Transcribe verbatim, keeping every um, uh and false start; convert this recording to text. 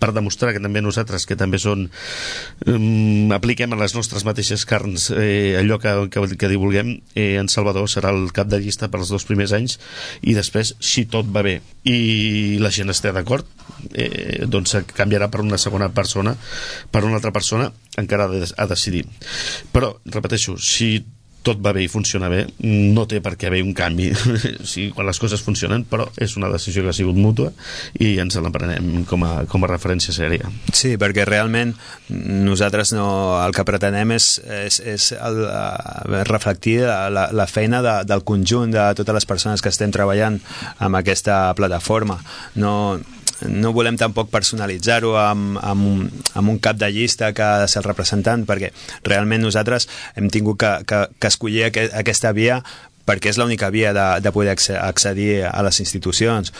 per demostrar que també nosaltres, que també són um, apliquem a les nostres mateixes carns eh, allò que, que, que divulguem, eh, en Salvador serà el cap de llista per als dos primers anys, i després, si tot va bé i la gent està d'acord, eh, doncs canviarà per una segona persona, per una altra persona, encara ha de, ha de decidir. Però, repeteixo, si tot va bé i funciona bé, no té per què haver un canvi sí, quan les coses funcionen, però és una decisió que ha sigut mútua i ens la prenem com a, com a referència sèria. Sí, perquè realment nosaltres no, el que pretenem és, és, és el, uh, reflectir la, la feina de, del conjunt de totes les persones que estem treballant amb aquesta plataforma. No... no volem tampoc personalitzar-ho amb, amb, un, amb un cap de llista que ha de ser el representant, perquè realment nosaltres hem tingut que, que, que escollir aquest, aquesta via perquè és l'única via de, de poder accedir a les institucions.